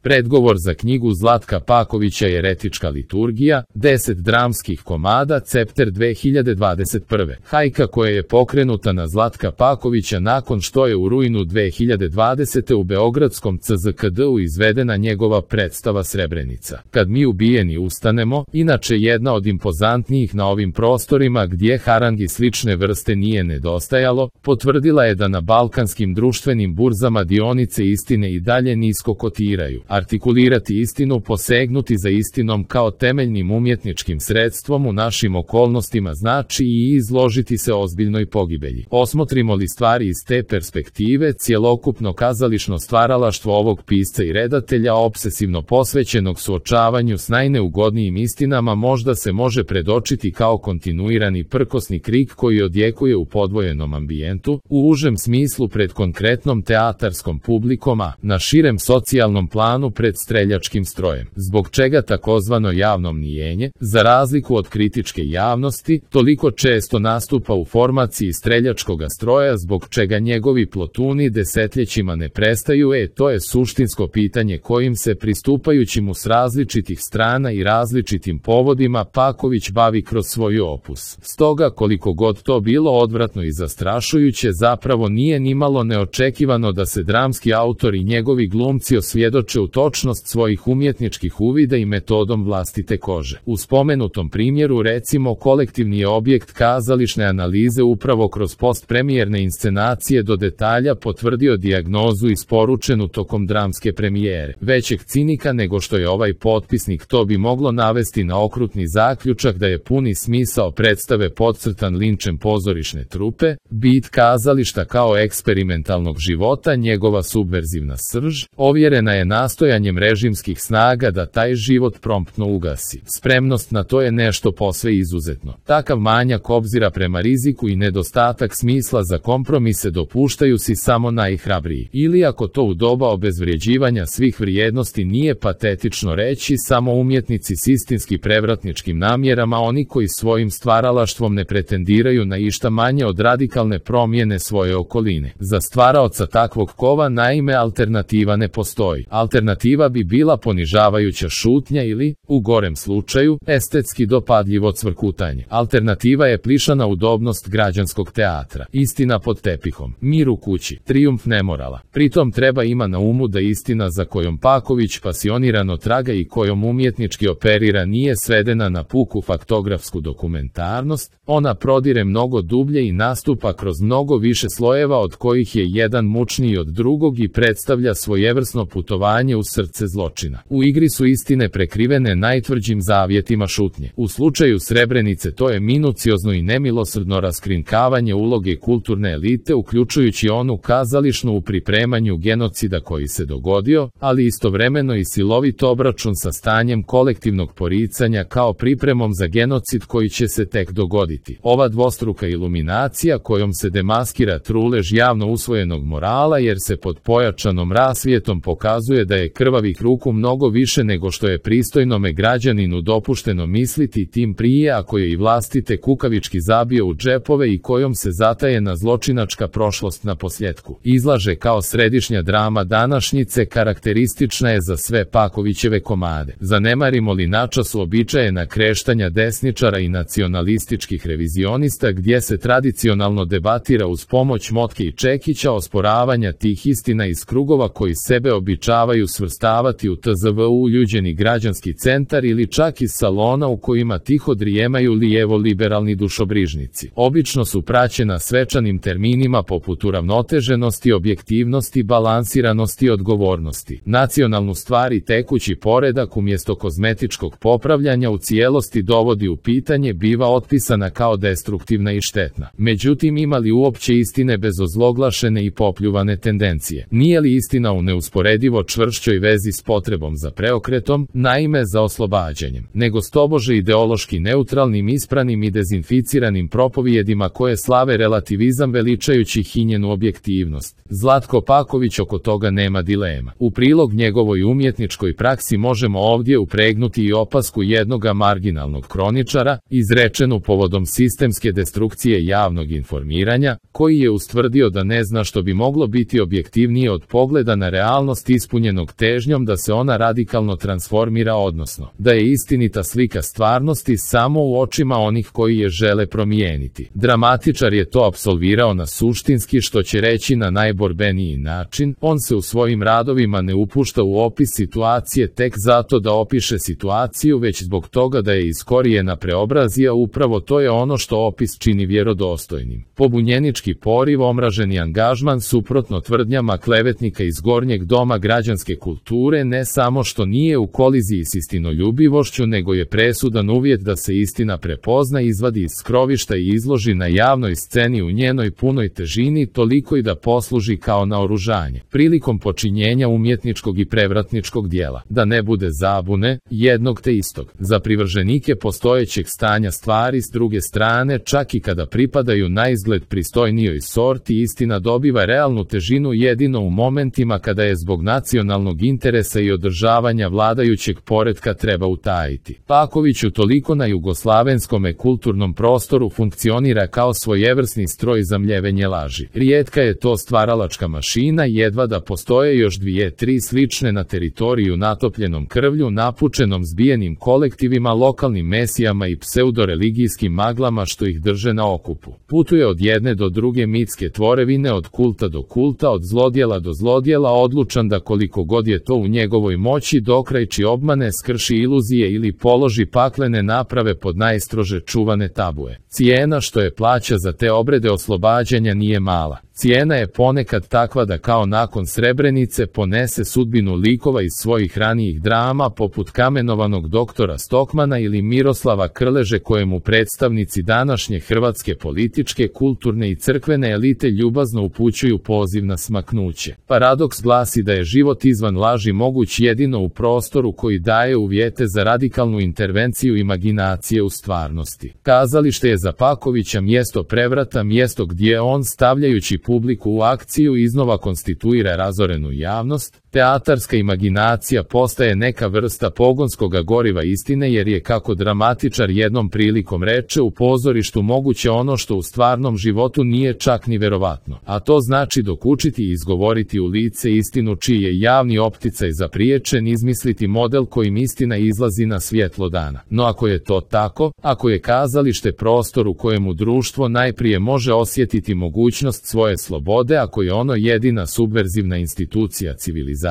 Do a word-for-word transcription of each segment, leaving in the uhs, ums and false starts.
Predgovor za knjigu Zlatka Pakovića Jeretička liturgija, deset dramskih komada, Cepter dve hiljade dvadeset prve. Hajka koja je pokrenuta na Zlatka Pakovića nakon što je u rujnu dve hiljade dvadesete. u beogradskom C Z K D-u izvedena njegova predstava Srebrenica. Kad mi ubijeni ustanemo, inače jedna od impozantnijih na ovim prostorima gdje harangi slične vrste nije nedostajalo, potvrdila je da na balkanskim društvenim burzama dionice istine i dalje nisko kotiraju. Artikulirati istinu, posegnuti za istinom kao temeljnim umjetničkim sredstvom u našim okolnostima znači i izložiti se ozbiljnoj pogibelji. Osmotrimo li stvari iz te perspektive, cjelokupno kazališno stvaralaštvo ovog pisca i redatelja, obsesivno posvećenog suočavanju s najneugodnijim istinama, možda se može predočiti kao kontinuirani prkosni krik koji odjekuje u podvojenom ambijentu, u užem smislu pred konkretnom teatarskom publikom, a na širem socijalnom planu pred streljačkim strojem. Zbog čega takozvano javno mnijenje, za razliku od kritičke javnosti, toliko često nastupa u formaciji streljačkoga stroja, zbog čega njegovi plotuni desetljećima ne prestaju, e, to je suštinsko pitanje kojim se, pristupajući mu s različitih strana i različitim povodima, Paković bavi kroz svoj opus. Stoga, koliko god to bilo odvratno i zastrašujuće, zapravo nije nimalo neočekivano da se dramski autor i njegovi glumci osvjedoče u točnost svojih umjetničkih uvida i metodom vlastite kože. U spomenutom primjeru, recimo, kolektivni je objekt kazališne analize upravo kroz postpremijerne inscenacije do detalja potvrdio dijagnozu isporučenu tokom dramske premijere. Većeg cinika nego što je ovaj potpisnik to bi moglo navesti na okrutni zaključak da je puni smisao predstave podcrtan linčem pozorišne trupe, bit kazališta kao eksperimentalnog života, njegova subverzivna srž, ovjerena je nastojanjem režimskih snaga da taj život promptno ugasi. Spremnost na to je nešto posve izuzetno. Takav manjak obzira prema riziku i nedostatak smisla za kompromise dopuštaju si samo najhrabriji. Ili, ako to u doba obezvrijeđivanja svih vrijednosti nije patetično reći, samo umjetnici s istinski prevratničkim namjerama, oni koji svojim stvaralaštvom ne pretendiraju na išta manje od radikalne promjene svoje okoline. Za stvaraoca takvog kova, naime, alternativa ne postoji. Alternativa bi bila ponižavajuća šutnja ili, u gorem slučaju, estetski dopadljivo cvrkutanje. Alternativa je plišana udobnost građanskog teatra. Istina pod tepihom, mir u kući, trijumf nemorala. Pritom treba ima na umu da istina za kojom Paković pasionirano traga i kojom umjetnički operira nije svedena na puku faktografsku dokumentarnost, ona prodire mnogo dublje i nastupa kroz mnogo više slojeva od kojih je jedan mučniji od drugog i predstavlja svojevrsno putovanje u srce zločina. U igri su istine prekrivene najtvrđim zavjetima šutnje. U slučaju Srebrenice to je minuciozno i nemilosrdno raskrinkavanje uloge kulturne elite, uključujući onu kazališnu u pripremanju genocida koji se dogodio, ali istovremeno i silovit obračun sa stanjem kolektivnog poricanja kao pripremom za genocid koji će se tek dogoditi. Ova dvostruka iluminacija kojom se demaskira trulež javno usvojenog morala, jer se pod pojačanom rasvijetom pokazuje da je krvavih ruku mnogo više nego što je pristojnome građaninu dopušteno misliti, tim prije ako je i vlastite kukavički zabio u džepove i kojom se zatajena zločinačka prošlost na posljetku izlaže kao središnja drama današnjice, karakteristična je za sve Pakovićeve komade. Zanemarimo li načas uobičajena kreštanja desničara i nacionalističkih revizionista gdje se tradicionalno debatira uz pomoć Motke i Čekića, osporavanja tih istina iz krugova koji sebe običavaju svrstavati u T Z V uljuđeni građanski centar ili čak iz salona u kojima tiho drijemaju lijevo-liberalni dušobrižnici. Obično su praćena svečanim terminima poput uravnoteženosti, objektivnosti, balansiranosti i odgovornosti. Nacionalnu stvar i tekući poredak umjesto kozmetičkog popravljanja u cijelosti dovodi u pitanje, biva otpisana kao destruktivna i štetna. Međutim, ima li uopće istine bez ozloglašene i popljuvane tendencije? Nije li istina u neusporedivo čvršćoj vezi s potrebom za preokretom, naime za oslobađanjem, nego s tobože ideološki neutralnim, ispranim i dezinficiranim propovijedima koje slave relativizam veličajući hinjenu objektivnost? Zlatko Paković oko toga nema dilema. U prilog njegovoj umjetničkoj praksi možemo ovdje upregnuti i opasku jednoga marginalnog kroničara, izrečenu povodom sistemske destrukcije javnog informiranja, koji je ustvrdio da ne zna što bi moglo biti objektivnije od pogleda na realnost ispunjenog težnjom da se ona radikalno transformira, odnosno da je istinita slika stvarnosti samo u očima onih koji je žele promijeniti. Dramatičar je to apsolvirao na suštinski, što će reći na najborbeniji način. On se u svojim radovima ne upušta u opis situacije tek zato da opiše situaciju, već zbog toga da je iz korijena preobrazija. Upravo to je ono što opis čini vjerodostojnim. Pobunjenički poriv, omraženi angažman suprotno tvrdnjama klevetnika iz Gornjeg doma građanske kulture ne samo što nije u koliziji s istinoljubivošću, nego je presudan uvjet da se istina prepozna, izvadi iz skrovišta i izloži na javnoj sceni u njenoj punoj težini, toliko i da posluži kao naoružanje prilikom počinjenja umjetničkog i prevratničkog dijela. Da ne bude zabune, jednog te istog. Za privrženike postojećeg stanja stvari, s druge strane, čak i kada pripadaju na izgled pristojnijoj sorti, istina dobiva realnu težinu jedino u momentima kada je zbog nacionalnog interesa i održavanja vladajućeg poretka treba utajiti. Paković utoliko na jugoslavenskome kulturnom prostoru funkcionira kao svojevrsni stroj za mljevenje laži. Rijetka je to stvaralačka mašina, jedva da postoje još dvije, tri slične na teritoriju natopljenom krvlju, napučenom zbijenim kolektivima, lokalnim mesijama i pseudoreligijskim maglama što ih drže na okupu. Putuje od jedne do druge mitske tvorevine, od kulta do kulta, od zlodjela do zlodjela, odlučan da koliko god je to u njegovoj moći dokrajči obmane, skrši iluzije ili položi paklene naprave pod najstrože čuvane tabue. Cijena što je plaća za te obrede oslobađanja nije mala. Cijena je ponekad takva da kao nakon Srebrenice ponese sudbinu likova iz svojih ranijih drama, poput kamenovanog doktora Stokmana ili Miroslava Krleže, kojemu predstavnici današnje hrvatske političke, kulturne i crkvene elite ljubazno upućuju poziv na smaknuće. Paradoks glasi da je život izvan laži moguć jedino u prostoru koji daje uvjete za radikalnu intervenciju imaginacije u stvarnosti. Kazalište je za Pakovića mjesto prevrata, mjesto gdje on, stavljajući publiku u akciju, iznova konstituira razorenu javnost. Teatarska imaginacija postaje neka vrsta pogonskoga goriva istine, jer je, kako dramatičar jednom prilikom reče, u pozorištu moguće ono što u stvarnom životu nije čak ni verovatno. A to znači dokučiti i izgovoriti u lice istinu čiji je javni opticaj zapriječen, izmisliti model kojim istina izlazi na svjetlo dana. No ako je to tako, ako je kazalište prostor u kojemu društvo najprije može osjetiti mogućnost svoje slobode, ako je ono jedina subverzivna institucija civilizacije,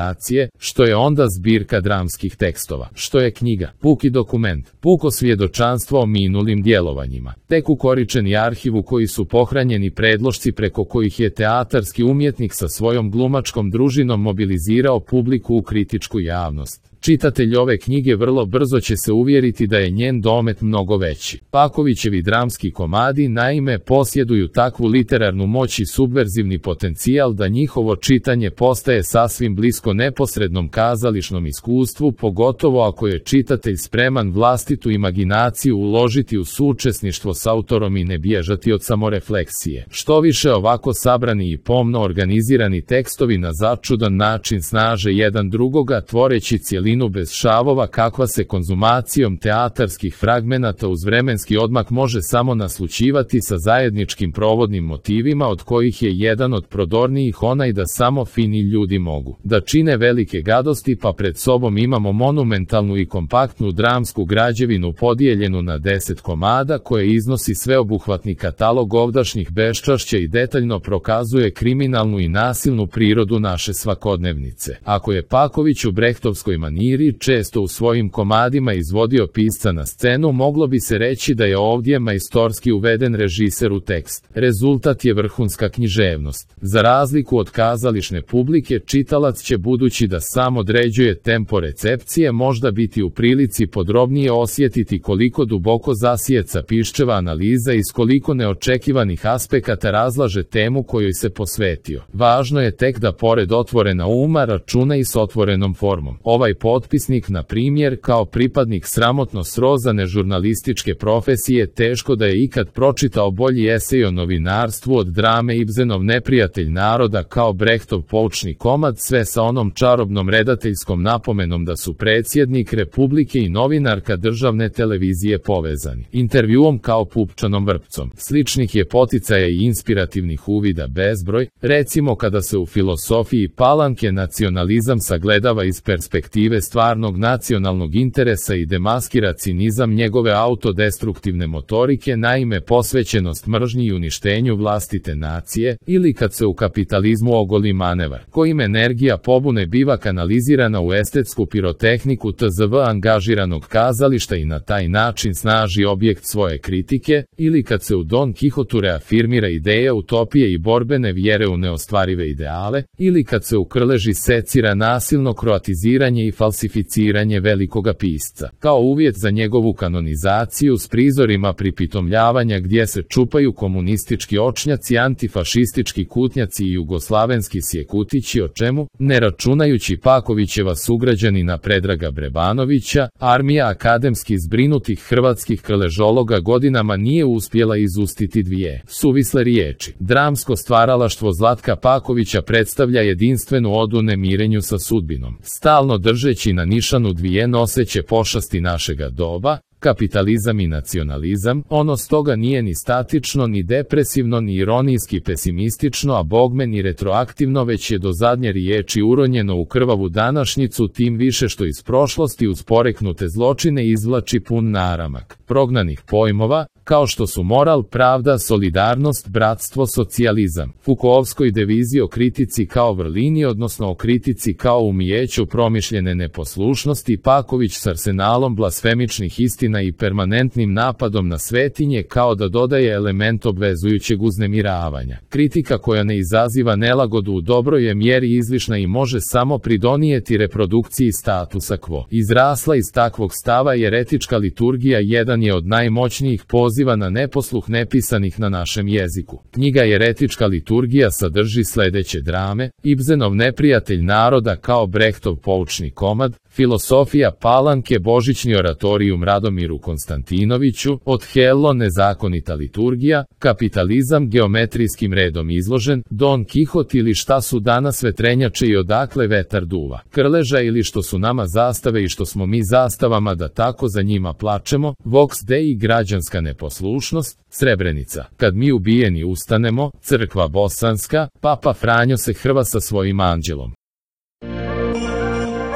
što je onda zbirka dramskih tekstova? Što je knjiga? Puki dokument, puko svjedočanstvo o minulim djelovanjima, tek ukoričeni arhiv u koji su pohranjeni predlošci preko kojih je teatarski umjetnik sa svojom glumačkom družinom mobilizirao publiku u kritičku javnost. Čitatelj ove knjige vrlo brzo će se uvjeriti da je njen domet mnogo veći. Pakovićevi dramski komadi naime posjeduju takvu literarnu moć i subverzivni potencijal da njihovo čitanje postaje sasvim blisko neposrednom kazališnom iskustvu, pogotovo ako je čitatelj spreman vlastitu imaginaciju uložiti u suučesništvo s autorom i ne bježati od samorefleksije. Što više, ovako sabrani i pomno organizirani tekstovi na začudan način snaže jedan drugoga, tvoreći cjelinu bez šavova kakva se konzumacijom teatarskih fragmenata uz vremenski odmak može samo naslućivati sa zajedničkim provodnim motivima, od kojih je jedan od prodornijih onaj da samo fini ljudi mogu da čine velike gadosti, pa pred sobom imamo monumentalnu i kompaktnu dramsku građevinu podijeljenu na deset komada, koje iznosi sveobuhvatni katalog ovdašnjih beščašća i detaljno prokazuje kriminalnu i nasilnu prirodu naše svakodnevnice. Ako je Paković u brehtovskoj maniri često u svojim komadima izvodio pisca na scenu, moglo bi se reći da je ovdje majstorski uveden režiser u tekst. Rezultat je vrhunska književnost. Za razliku od kazališne publike, čitalac će, budući da sam određuje tempo recepcije, možda biti u prilici podrobnije osjetiti koliko duboko zasijeca Piščeva analiza i s koliko neočekivanih aspekata razlaže temu kojoj se posvetio. Važno je tek da pored otvorena uma računa i s otvorenom formom. Ovaj potpisnik, na primjer, kao pripadnik sramotno srozane žurnalističke profesije, teško da je ikad pročitao bolji esej o novinarstvu od drame Ibsenove Ibsenov neprijatelj naroda kao Brechtov poučni komad, sve sa onom čarobnom redateljskom napomenom da su predsjednik Republike i novinarka državne televizije povezani. Intervjuom kao pupčanom vrpcom. Sličnih je poticaja i inspirativnih uvida bezbroj, recimo kada se u filosofiji Palanke nacionalizam sagledava iz perspektive stvarnog nacionalnog interesa i demaskira cinizam njegove autodestruktivne motorike, naime posvećenost mržnji i uništenju vlastite nacije, ili kad se u kapitalizmu ogoli manevar, kojim energija pobune biva kanalizirana u estetsku pirotehniku tzv. Angažiranog kazališta i na taj način snaži objekt svoje kritike, ili kad se u Don Kihotu reafirmira ideja utopije i borbene vjere u neostvarive ideale, ili kad se u Krleži secira nasilno kroatiziranje i falsificiranje velikoga pisca, kao uvjet za njegovu kanonizaciju s prizorima pripitomljavanja gdje se čupaju komunistički očnjaci, antifašistički kutnjaci i jugoslavenski sjekutići, o čemu, ne računajući Pakovićeva sugrađanina Predraga Brebanovića, armija akademski zbrinutih hrvatskih krležologa godinama nije uspjela izustiti dvije suvisle riječi. Dramsko stvaralaštvo Zlatka Pakovića predstavlja jedinstvenu odu nemirenju sa sudbinom, stalno držeći na nišanu dvije noseće pošasti našega doba, kapitalizam i nacionalizam. Ono stoga nije ni statično, ni depresivno, ni ironijski pesimistično, a bogme ni retroaktivno, već je do zadnje riječi uronjeno u krvavu današnjicu, tim više što iz prošlosti uz poreknute zločine izvlači pun naramak prognanih pojmova, kao što su moral, pravda, solidarnost, bratstvo, socijalizam. Foucaultskoj devizi o kritici kao vrlini, odnosno o kritici kao umijeću promišljene neposlušnosti, Paković s arsenalom blasfemičnih istina i permanentnim napadom na svetinje kao da dodaje element obvezujućeg uznemiravanja. Kritika koja ne izaziva nelagodu u dobroj je mjeri izlišna i može samo pridonijeti reprodukciji statusa quo. Izrasla iz takvog stava jeretička liturgija jedan je od najmoćnijih poziva na neposluh nepisanih na našem jeziku. Knjiga Jeretička liturgija sadrži sljedeće drame: Ibsenov neprijatelj naroda kao Brechtov poučni komad, Filosofija Palanke, Božićni oratorijum Radomiru Konstantinoviću, Othello, nezakonita liturgija, Kapitalizam geometrijskim redom izložen, Don Kihot ili Šta su danas vetrenjače i odakle vetar duva, Krleža ili Što su nama zastave i što smo mi zastavama da tako za njima plačemo, Vox Dei, građanska neposlušnost, Srebrenica, Kad mi ubijeni ustanemo, Crkva bosanska, Papa Franjo se hrva sa svojim anđelom.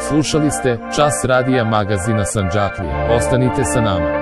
Slušali ste Čas radija magazina Sandžaklija. Ostanite sa nama.